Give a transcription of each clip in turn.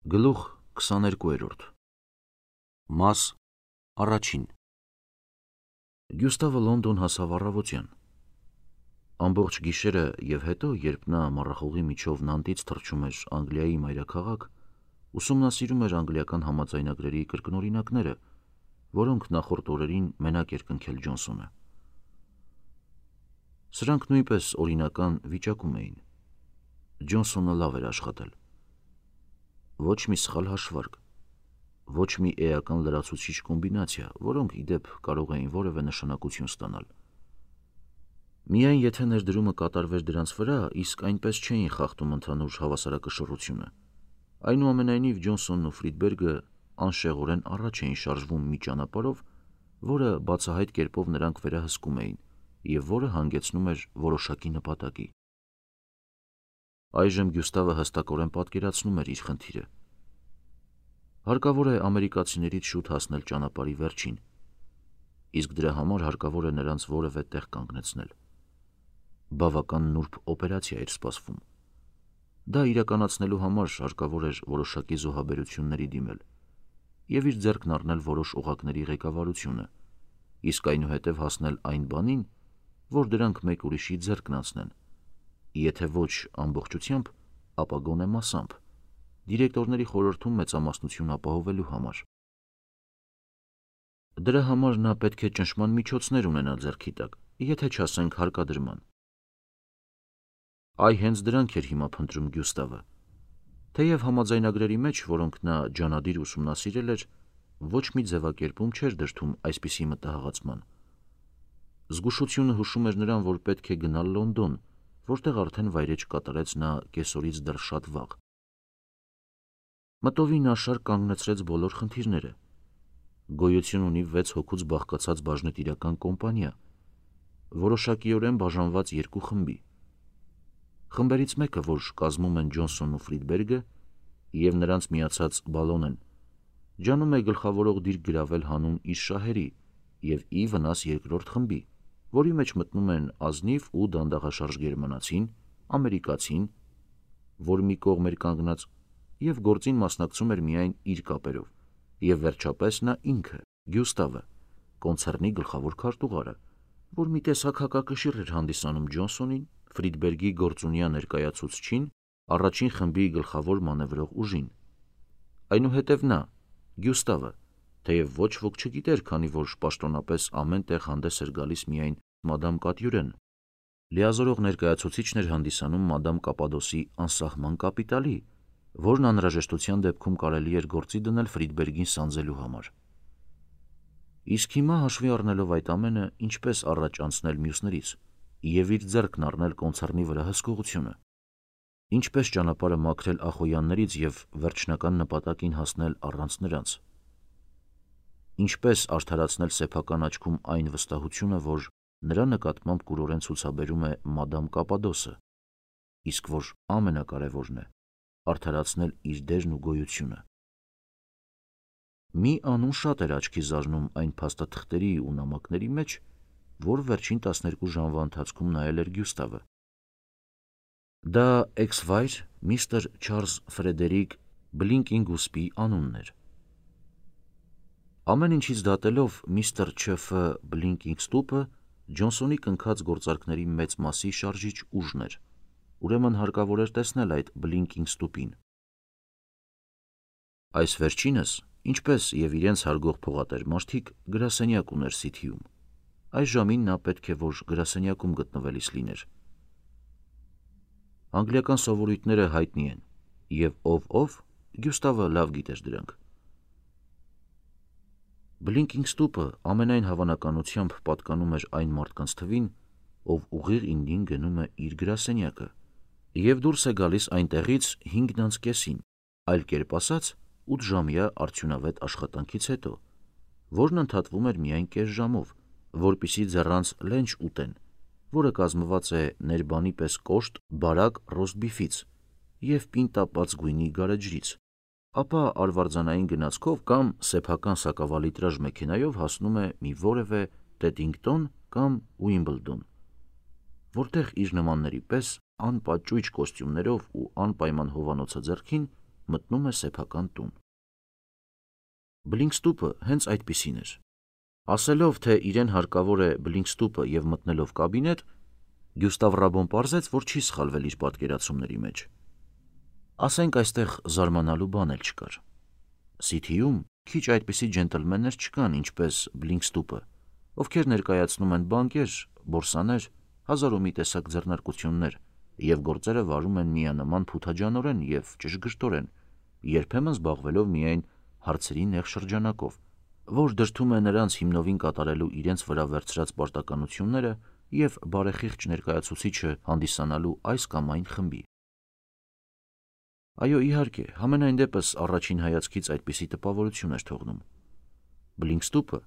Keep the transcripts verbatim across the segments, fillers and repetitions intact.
Գլուխ քսաներկու Մաս առաջին Գյուստավը Լոնդոն հասավ առավոտյան։ Ամբողջ գիշերը և հետո, երբ նա մառախուղի միջով Նանտից թռչում էր Անգլիայի մայրաքաղաք, ուսումնասիրում էր անգլիական համաձայնագրերի կրկնօրինակները, որոնք նախորդ օրերին մենակ էր կնքել Ջոնսոնը։ Սրանք նույնպես օրինական վիճակում էին։ Ջոնսոնը լավ էր աշխատել։ Ոչ մի սխալ հաշվարկ, ոչ մի էական լրացուցիչ կոմբինացիա, որոնք ի դեպ կարող էին որևէ նշանակություն ստանալ։ Միայն եթե ներդրումը կատարվեր դրանց վրա, իսկ այնպես չէին խախտում ընդհանուր հավասարակշռությունը։ Այնուամենայնիվ Ջոնսոնն ու Ֆրիդբերգը անշեղորեն առաջ էին շարժվում մի ճանապարհով, որը բացահայտ կերպով նրանք վերահսկում էին և որը հանգեցնում էր որոշակի նպատակի։ Այժմ Գյուստավը հստակորեն պատկերացնում էր իր խնդիրը։ Հարկավոր է ամերիկացիներից շուտ հասնել ճանապարհի վերջին, իսկ դրա համար հարկավոր է նրանց որևէ տեղ կանգնեցնել։ Բավական նուրբ օպերացիա էր սպասվում։ Դա իրականացնելու համար հարկավոր էր որոշակի զոհաբերությունների դիմել և իր ձեռքն առնել որոշ օղակների ղեկավարությունը, իսկ այնուհետև հասնել այն բանին, որ դրանք մեկ ուրիշի ձեռքն անցնեն, եթե ոչ ամբողջությամբ, ապա գոնե մասամբ, դիրեկտորների խորհրդում մեծամասնություն ապահովելու համար։ Դրա համար նա պետք է ճնշման միջոցներ ունենա ձեռքի տակ, եթե չասենք հարկադրման։ Այ հենց դրանք էր հիմա փնտրում Գյուստավը, թեև համաձայնագրերի մեջ, որոնք նա ջանադիր ուսումնասիրել էր, ոչ մի ձևակերպում չէր դրդում այսպիսի մտահղացման։ Զգուշությունը հուշում էր նրան, որ պետք է գնալ Լոնդոն, որտեղ արդեն վայրէջք կատարեց նա կեսօրից դեռ շատ վաղ։ Մտովի նա շարք կանգնեցրեց բոլոր խնդիրները։ Գոյություն ունի վեց հոգուց բաղկացած բաժնետիրական կոմպանիա, որոշակիորեն բաժանված երկու խմբի։ Խմբերից մեկը, որ կազմում են Ջոնսոնն ու Ֆրիդբերգը, և նրանց միացած Բալոնեն, ջանում է գլխավորող դիրք գրավել հանուն իր շահերի և ի վնաս երկրորդ խմբի, որի մեջ մտնում են ազնիվ ու դանդաղաշարժ գերմանացին, ամերիկացին, որ մի կողմ էր կանգնած, և գործին մասնակցում էր միայն իր կապերով, և վերջապես նա ինքը, Գյուստավը, կոնցեռնի գլխավոր քարտուղարը, որ մի տեսակ հակակշիռ էր հանդիսանում Ջոնսոնին, Ֆրիդբերգի գործունյա ներկայացուցչին, առաջին խմբի գլխավոր մանևրող ուժին։ Այնուհետև նա, Գյուստավը, թեև ոչ ոք չգիտեր, քանի որ պաշտոնապես ամեն տեղ հանդես էր գալիս միայն մադամ Կատյուրեն, լիազորող ներկայացուցիչն էր հանդիսանում մադամ Կապադոսի անսահման կապիտալի, որն անհրաժեշտության դեպքում կարելի էր գործի դնել Ֆրիդբերգին սանձելու համար։ Իսկ հիմա, հաշվի առնելով այդ ամենը, ինչպես առաջ անցնել մյուսներից և իր ձեռքն առնել կոնցեռնի վրա հսկողությունը, ինչպես ճանապարհը մաքրել Ախոյաններից և վերջնական նպատակին հասնել առանց նրանց, ինչպես արդարացնել սեփական աչքում այն վստահությունը, որ նրա նկատմամբ կուրորեն ցուցաբերում է մադամ Կապադոսը, իսկ որ ամենակարևորն է, արդարացնել իր դերն ու գոյությունը։ Մի անուն շատ էր աչքի զարնում այն փաստաթղթերի ու նամակների մեջ, որ վերջին տասներկու ժամվա ընթացքում նայել էր Գյուստավը։ Դա էքս-վայր միստր Չարլզ Ֆրեդերիկ Բլինկինգուսպի անունն էր։ Ամեն ինչից դատելով միստր Չ. Ֆ. Բլինկինգստուպը Ջոնսոնի կնքած գործարքների մեծ մասի շարժիչ ուժն էր, ուրեմն հարկավոր էր տեսնել այդ Բլինկինգստուպին։ Այս վերջինս, ինչպես և իրենց հարգող փողատեր մարդիկ, գրասենյակ ուներ Սիթիում։ Այս ժամին նա պետք է որ գրասենյակում գտնվելիս լիներ։ Անգլիական սովորույթները հայտնի են, և ով-ով, Գյուստավը լավ գիտեր դրանք։ Բլինկինգստուպը ամենայն հավանականությամբ պատկանում էր այն մարդկանց թվին, ով ուղիղ իննին գնում է իր գրասենյակը և դուրս է գալիս այնտեղից հինգն անց կեսին, այլ կերպ ասած, ութժամյա արդյունավետ աշխատանքից հետո, որն ընդհատվում էր միայն կես ժամով, որպեսզի ձեռանց լենչ ուտեն, որը կազմված է ներբանի պես կոշտ բարակ ռոստբիֆից և պինդ-տապած գույնի գարեջրից, ապա արվարձանային գնացքով կամ սեփական սակավալիտրաժ մեքենայով հասնում է մի որևէ Տեդինգտոն կամ Ուիմբլդոն, որտեղ իր նմանների պես անպաճույճ կոստյումներով ու անպայման հովանոցը ձեռքին մտնում է սեփական տուն։ Բլինքստուպը հենց այդպիսին էր։ Ասելով, թե իրեն հարկավոր է Բլինքստուպը եւ մտնելով կաբինետ, Գյուստավ Ռաբոն պարզեց, որ չի սխալվել իր պատկերացումների մեջ։ Ասենք այստեղ զարմանալու բան էլ չկար։ Սիթիում քիչ այդպիսի ջենտլմեններ չկան, ինչպես Բլինքստուպը, ովքեր ներկայացնում են բանկեր, բորսաներ, հազար ու մի տեսակ ձեռնարկություններ եւ գործերը վարում են միանման փութաջանորեն եւ ճշգրտորեն, երբեմն զբաղվելով միայն հարցերի նեղ շրջանակով, որ դրդում է նրանց հիմնովին կատարելու իրենց վրա վերցրած պարտականությունները եւ բարեխիղճ ներկայացուցիչը հանդիսանալու այս կամ այն խմբի։ Այո, իհարկե, համենայն դեպս առաջին հայացքից այդպիսի տպավորություն էր թողնում։ Բլինքստուպը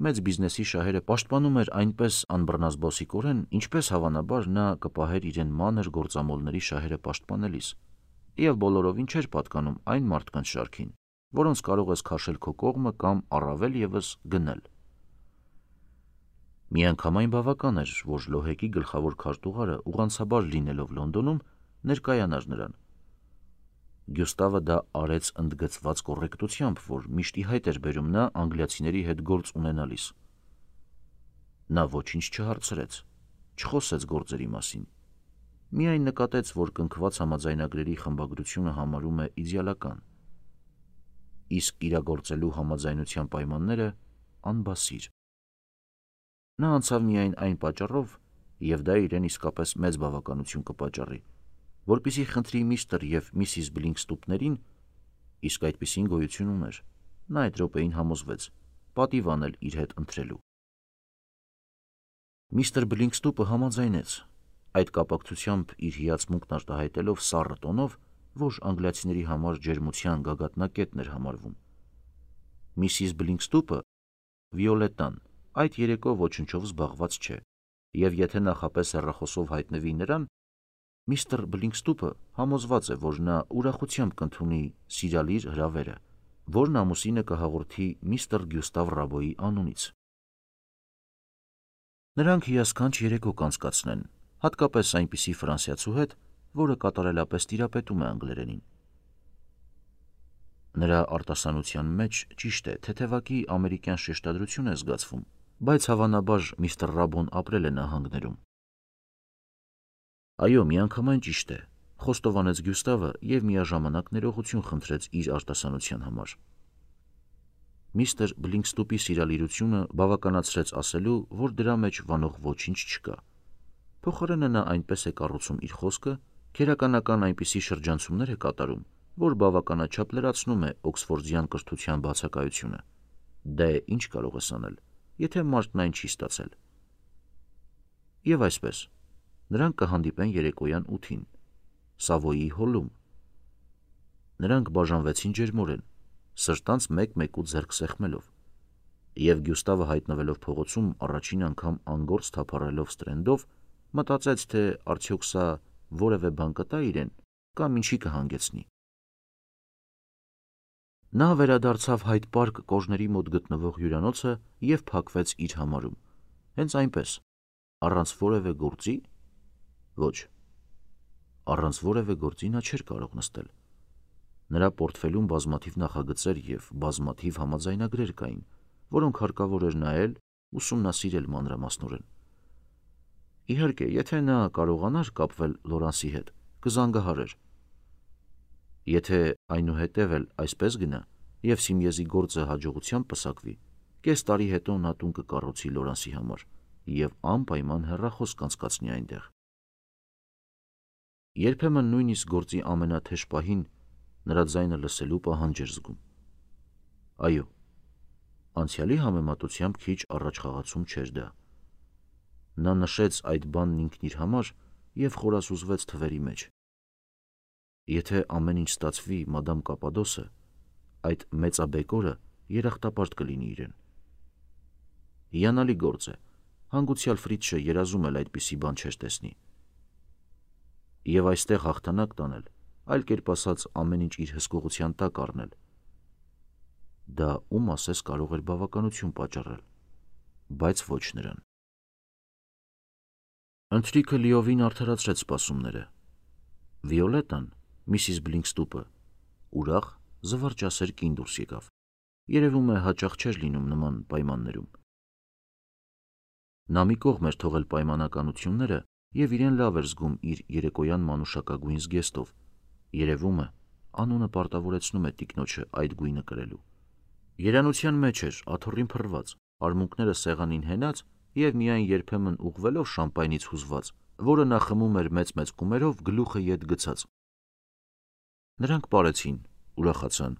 մեծ բիզնեսի շահերը պաշտպանում էր այնպես անբռնազբոսիկորեն, ինչպես հավանաբար նա կպահեր իրեն մանր գործամոլների շահերը պաշտպանելիս, եւ բոլորովին չէր պատկանում այն մարդկանց շարքին, որոնց կարող ես քաշել քո կողմը կամ առավել եւս գնել։ Միանգամայն բավական էր, որ Լոհեկի գլխավոր քարտուղարը ուղղանցաբար լինելով Լոնդոնում ներկայանար նրան։ Գյուստավը դա արեց ընդգծված կոռեկտությամբ, որ միշտ ի հայտ էր բերում նա անգլիացիների հետ գործ ունենալիս։ Նա ոչինչ չհարցրեց, չխոսեց գործերի մասին, միայն նկատեց, որ կնքված համաձայնագրերի խմբագրությունը համարում է իդեալական, իսկ իրագործելու համաձայնության պայմանները անբասիր։ Նա անցավ միայն այն պատճառով, եւ դա իրեն իսկապես մեծ բավականություն կպատճառի, որպեսզի խնդրի միստր եւ միսիս Բլինքստուպներին, իսկ այդպիսին գոյություն ուներ, նա այդ րոպեին համոզվեց, պատիվ անել իր հետ ընտրելու։ Միստր Բլինքստուպը համաձայնեց, այդ կապակցությամբ իր հիացմունքն արտահայտելով սառը տոնով, որ անգլիացիների համար ջերմության գագաթնակետն էր համարվում։ Միսիս Բլինքստուպը, Վիոլետտան, այդ երեկո ոչնչով զբաղված չէ, եւ եթե նախապես հեռախոսով հայտնվի նրան, միստր Բլինքստուպը համոզված է, որ նա ուրախությամբ կընդունի սիրալիր հրավերը, որն ամուսինը կհաղորդի միստր Գյուստավ Ռաբոյի անունից։ Նրանք հիասքանչ երեկո կանցկացնեն, հատկապես այնպիսի ֆրանսիացու հետ, որը կատարելապես տիրապետում է անգլերենին։ Նրա արտասանության մեջ ճիշտ է, թեթևակի ամերիկյան շեշտադրություն է զգացվում, բայց հավանաբար միստր Ռաբոն ապրել է նահանգներում։ Այո, միանգամայն ճիշտ է, խոստովանեց Գյուստավը եւ միաժամանակ ներողություն խնդրեց իր արտասանության համար։ Միստր Բլինքստուպի սիրալիրությունը բավականացրեց ասելու, որ դրա մեջ վանող ոչինչ չկա։ Փոխարենը նա այնպես է կառուցում իր խոսքը, քերականական այնպիսի շրջանցումներ է կատարում, որ բավականաչափ լրացնում է օքսֆորդյան կրթության բացակայությունը։ Դե ինչ կարող ես անել, եթե մարդն այն չի ստացել։ Եվ այսպես, նրանք կհանդիպեն երեկոյան ութին, Սավոյի հոլում։ Նրանք բաժանվեցին ջերմորեն, սրտանց մեկ-մեկու ձեռք սեղմելով, եւ Գյուստավը հայտնվելով փողոցում առաջին անգամ անգործ թափառելով Ստրենդով, մտածեց, թե արդյոք սա որևէ բան կտա իրեն կամ ինչի կհանգեցնի։ Նա վերադարձավ Հայդ Պարկ կոժների մոտ գտնվող հյուրանոցը եւ փակվեց իր համարում։ Հենց այնպես, առանց որևէ գործի։ Ոչ, առանց որևէ գործի նա չէր կարող նստել։ Նրա պորտֆելում բազմաթիվ նախագծեր եւ բազմաթիվ համաձայնագրեր կային, որոնք հարկավոր էր նայել, ուսումնասիրել մանրամասնորեն։ Իհարկե, եթե նա կարողանար կապվել Լորանսի հետ, կզանգահարեր։ Եթե այնուհետև էլ այսպես գնա եւ Սիմիեզի գործը հաջողությամբ պսակվի, կես տարի հետո նա տուն կկառուցի Լորանսի համար եւ անպայման հեռախոս կանցկացնի այնտեղ։ Երբեմն նույնիսկ գործի ամենաթեժ պահին նրա ձայնը լսելու պահանջ էր զգում։ Այո, անցյալի համեմատությամբ քիչ առաջխաղացում չէր դա։ Նա նշեց այդ բանն ինքն իր համար եւ խորասուզվեց թվերի մեջ։ Եթե ամեն ինչ ստացվի, մադամ Կապադոսը, այդ մեծաբեկորը երախտապարտ կլինի իրեն։ Հիանալի գործ է, հանգուցյալ Ֆրիցշը երազում էլ այդպիսի բան չէր տեսնի։ Եվ այստեղ հաղթանակ տանել, այլ կերպ ասած ամեն ինչ իր հսկողության տակ առնել։ Դա ում ասես կարող էր բավականություն պատճառել, բայց ոչ նրան։ Ընթրիքը լիովին արդարացրեց սպասումները։ Վիոլետան, միսիս Բլինքստուպը, ուրախ, զվարճասեր կին դուրս եկավ։ Երևում է հաճախ չէր լինում նման պայմաններում։ Նա մի կողմ էր թողել պայմանականությունները և իրեն լավ էր զգում իր երեկոյան մանուշակագույն զգեստով։ Երևում է, անունը պարտավորեցնում է տիկնոջը այդ գույնը կրելու։ Երանության մեջ էր, աթոռին փռված, արմունկները սեղանին հենած և միայն երբեմն ուղղվելով շամպայնից հուզված, որը նա խմում էր մեծ-մեծ կումերով գլուխը ետ գցած։ Նրանք պարեցին, ուրախացան։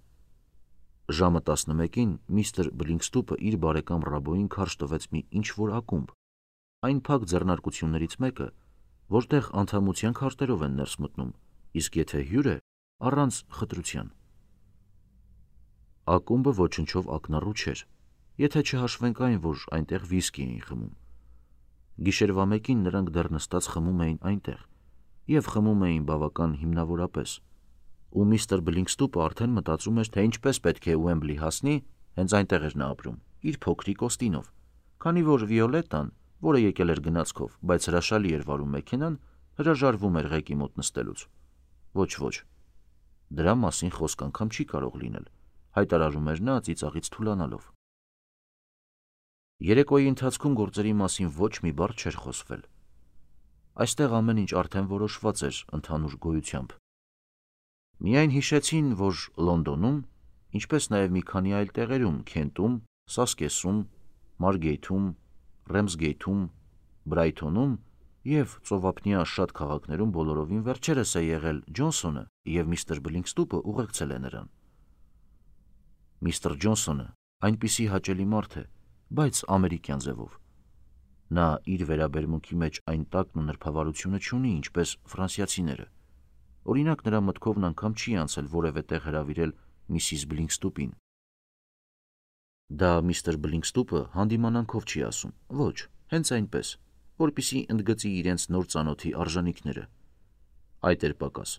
Ժամը տասնմեկին միստր Բլինքստուպը իր բարեկամ Ռաբոյին քարշ տվեց մի ինչ-որ ակումբ, այն փակ ձեռնարկություններից մեկը, որտեղ անդամության քարտերով են ներս մտնում, իսկ եթե հյուր է, առանց խտրության։ Ակումբը ոչնչով ակնառու չէր, եթե չհաշվենք այն, որ այնտեղ վիսկի էին խմում։ Գիշերվա մեկին նրանք դեռ նստած խմում էին այնտեղ և խմում էին բավական հիմնավորապես, ու միստր Բլինքստուպը արդեն մտածում էր, թե ինչպես պետք է Ուեմբլի հասնի, հենց այնտեղ էր նա ապրում, իր փոքրիկ Օստինով, քանի որ Վիոլետտան, որը եկել էր գնացքով, բայց հրաշալի էր վարում մեքենան, հրաժարվում էր ղեկի մոտ նստելուց։ Ոչ, ոչ, դրա մասին խոսք անգամ չի կարող լինել, հայտարարում էր նա ծիծաղից թուլանալով։ Երեկոյի ընթացքում գործերի մասին ոչ մի բառ չէր խոսվել։ Այստեղ ամեն ինչ արդեն որոշված էր ընդհանուր գոյությամբ։ Միայն հիշեցին, որ Լոնդոնում, ինչպես նաև մի քանի այլ տեղերում, Քենտում, Սասկեսում, Մարգեյթում, Ռեմսգեյթում, Բրայթոնում և ծովափնյա շատ քաղաքներում բոլորովին վերջերս է եղել Ջոնսոնը և միստր Բլինքստուպը ուղեկցել է նրան։ Միստր Ջոնսոնը այնպիսի հաճելի մարդ է, բայց ամերիկյան ձևով։ Նա իր վերաբերմունքի մեջ այն տակն ու նրբավարությունը չունի, ինչպես ֆրանսիացիները։ Օրինակ, նրա մտքովն անգամ չի անցել որևէ տեղ հրավիրել միսիս Բլինքստուպին։ Դա միստր Բլինքստուպը հանդիմանանքով չի ասում, ոչ, հենց այնպես, որպեսզի ընդգծի իրենց նոր ծանոթի արժանինքները։ Այդ էր պակաս։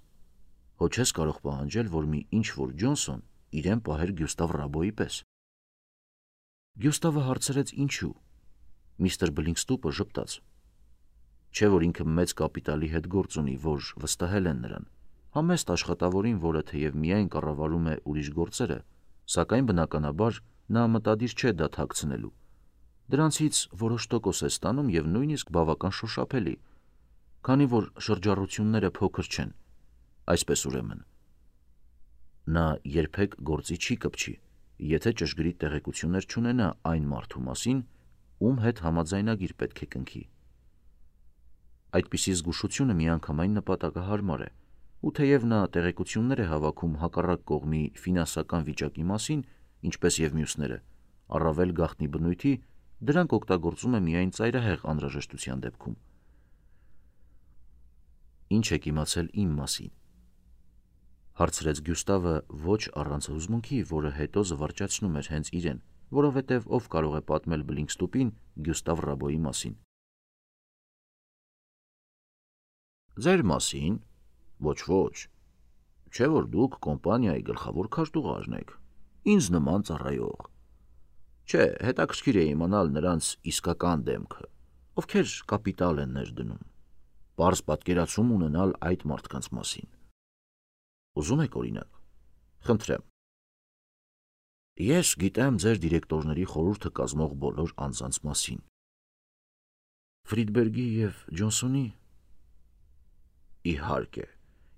Հո չես կարող պահանջել, որ մի ինչ-որ Ջոնսոն իրեն պահեր Գյուստավ Ռաբոյի պես։ Գյուստավը հարցրեց ինչու։ Միստր Բլինքստուպը ժպտաց։ Չէ՞ որ ինքը մեծ կապիտալի հետ գործ ունի, որ վստահել են նրան, համեստ աշխատավորին, որը թեև միայն կառավարում է ուրիշ գործերը, սակայն բնականաբար նա մտադիր չէ դա թաքցնելու։ Դրանցից որոշ տոկոս է ստանում և նույնիսկ բավական շոշափելի, քանի որ շրջառությունները փոքր չեն, այսպես ուրեմն։ Նա երբեք գործի չի կպչի, եթե ճշգրիտ տեղեկություններ չունենա այն մարդու մասին, ում հետ համաձայնագիր պետք է կնքի։ Այդպիսի զգուշությունը միանգամայն նպատակահարմար է, ու թեև նա տեղեկություններ է հավաքում հակառակ կողմի ֆինանսական վիճակի մասին, ինչպես և մյուսները, առավել գաղտնի բնույթի, դրանք օգտագործում է միայն ծայրահեղ անհրաժեշտության դեպքում։ Ինչ եք իմացել իմ մասին, հարցրեց Գյուստավը ոչ առանց հուզմունքի, որը հետո զվարճացնում էր հենց իրեն, որովհետև ով կարող է պատմել Բլինքստուպին Գյուստավ Ռաբոյի մասին։ Ձեր մասին, ոչ, ոչ, չէ որ դուք կոմպանիայի գլխավոր քարտուղարն եք, ինձ նման ծառայող։ Չէ, հետաքրքիր է իմանալ նրանց իսկական դեմքը, ովքեր կապիտալ են ներդնում, պարզ պատկերացում ունենալ այդ մարդկանց մասին։ Ուզում եք օրինակ։ Խնդրեմ։ Ես գիտեմ ձեր դիրեկտորների խորհուրդը կազմող բոլոր անձանց մասին։ Ֆրիդբերգի և Ջոնսոնի։ Իհարկե,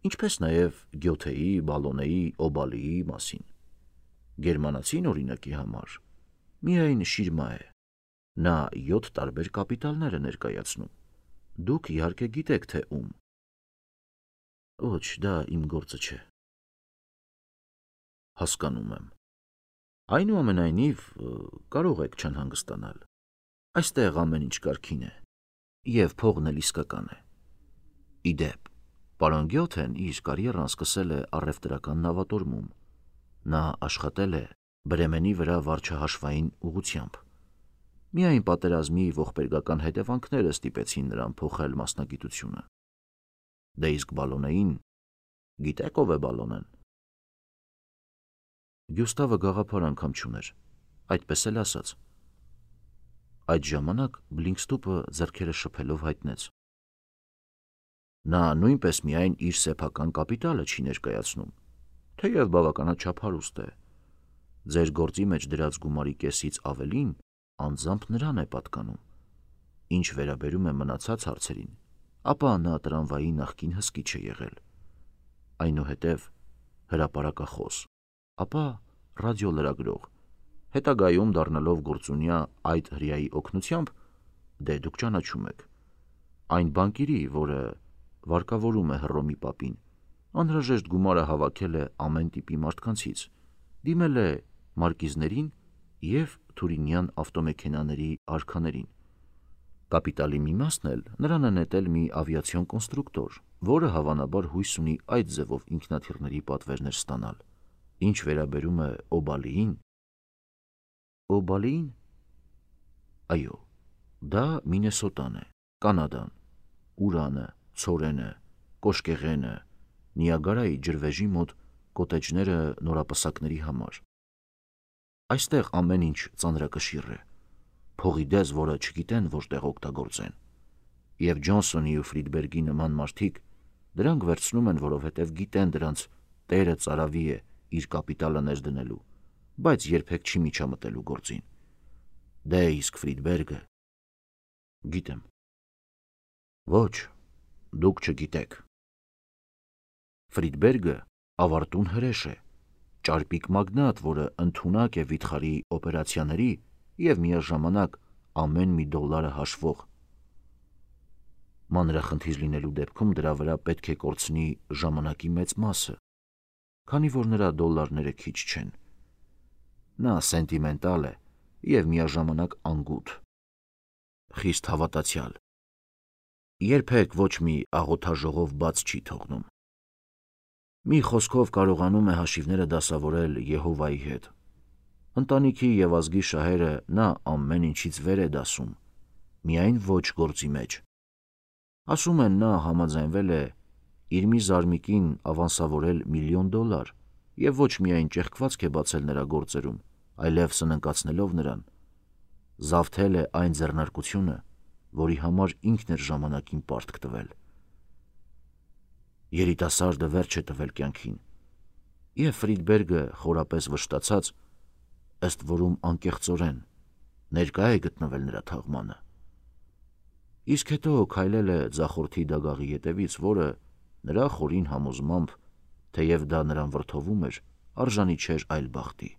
ինչպես նաև Գյոթեի, Բալոնեի, Օբալիի մասին։ Գերմանացին օրինակի համար միայն շիրմա է։ Նա յոթ տարբեր կապիտալներ է ներկայացնում։ Դուք իհարկե գիտեք, թե ում։ Ոչ, դա իմ գործը չէ։ Հասկանում եմ։ Այնուամենայնիվ, կարող եք չանհանգստանալ։ Այստեղ ամեն ինչ կարգին է, և փողն էլ իսկական է։ Ի դեպ, պարոն Գյոթեն իր կարիերան սկսել է առևտրական նավատորմում։ Նա աշխատել է Բրեմենի վրա վարչահաշվային ուղղությամբ։ Միայն պատերազմի ողբերգական հետևանքները ստիպեցին նրան փոխել մասնագիտությունը։ Դե իսկ Բալոնեին, գիտեք ով է Բալոնեն։ Գյուստավը գաղափար անգամ չուներ, այդպես էլ ասաց։ Այդ ժամանակ Բլինքստուպը ձեռքերը շփելով հայտնեց. Նա նույնպես միայն իր սեփական կապիտալը չի ներկայացնում, թեև բավականաչափ հարուստ է։ Ձեր գործի մեջ դրած գումարի կեսից ավելին անձամբ նրան է պատկանում։ Ինչ վերաբերում է մնացած հարցերին, ապա նա տրամվայի նախկին հսկիչ է եղել, այնուհետև հրապարակախոս, ապա ռադիոլրագրող, հետագայում դառնալով գործունյա այդ հրեայի օգնությամբ, դե դուք ճանաչում եք, այն բանկիրի, որը վարկավորում է Հռոմի պապին, անհրաժեշտ գումարը հավաքել է ամեն տիպի մարդկանցից, դիմել է մարկիզներին և թուրինյան ավտոմեքենաների արքաներին։ Կապիտալի մի մասն էլ նրան է նետել մի ավիացիոն կոնստրուկտոր, որը հավանաբար հույս ունի այդ ձևով ինքնաթիռների պատվերներ ստանալ։ Ինչ վերաբերում է Օբալիին… Օբալիին… Այո, դա Մինեսոտան է, Կանադան, Ուրանը, ցորենը, կոշկեղենը, Նիագարայի ջրվեժի մոտ կոտեջները նորապսակների համար։ Այստեղ ամեն ինչ ծանրակշիռ է, փողի դես, որը չգիտեն որտեղ օգտագործեն, և Ջոնսոնի ու Ֆրիդբերգի նման մարդիկ դրանք վերցնում են, որովհետև գիտեն դրանց տերը ծարավի է իր կապիտալը ներդնելու, բայց երբեք չի միջամտելու գործին։ Դե իսկ Ֆրիդբերգը… Գիտեմ։ Ոչ, դուք չգիտեք։ Ֆրիդբերգը ավարտուն հրեշ է, ճարպիկ մագնատ, որը ընդունակ է վիթխարի օպերացիաների և միաժամանակ ամեն մի դոլարը հաշվող։ Մանրախնդիր լինելու դեպքում դրա վրա պետք է կորցնի ժամանակի մեծ մասը, քանի որ նրա դոլարները քիչ չեն։ Նա սենտիմենտալ է և միաժամանակ անգութ, խիստ հավատացյալ, երբեք ոչ մի աղոթաժողով բաց չի թողնում։ Մի խոսքով կարողանում է հաշիվները դասավորել Եհովայի հետ։ Ընտանիքի և ազգի շահերը նա ամեն ինչից վեր է դասում, միայն ոչ գործի մեջ։ Ասում են, նա համաձայնվել է իր մի զարմիկին ավանսավորել միլիոն դոլար և ոչ միայն ճեղքվածք է բացել նրա գործերում, այլև սննկացնելով նրան, զավթել է այն ձեռնարկությունը, որի համար ինքն էր ժամանակին պարտք տվել։ Երիտասարդը վերջ է տվել կյանքին, և Ֆրիդբերգը խորապես վշտացած, ըստ որում անկեղծորեն, ներկա է գտնվել նրա թաղմանը։ Իսկ հետո քայլել է ձախորդի դագաղի ետևից, որը նրա խորին համոզմամբ, թեև դա նրան վրդովում էր, արժանի չէր այլ բախտի։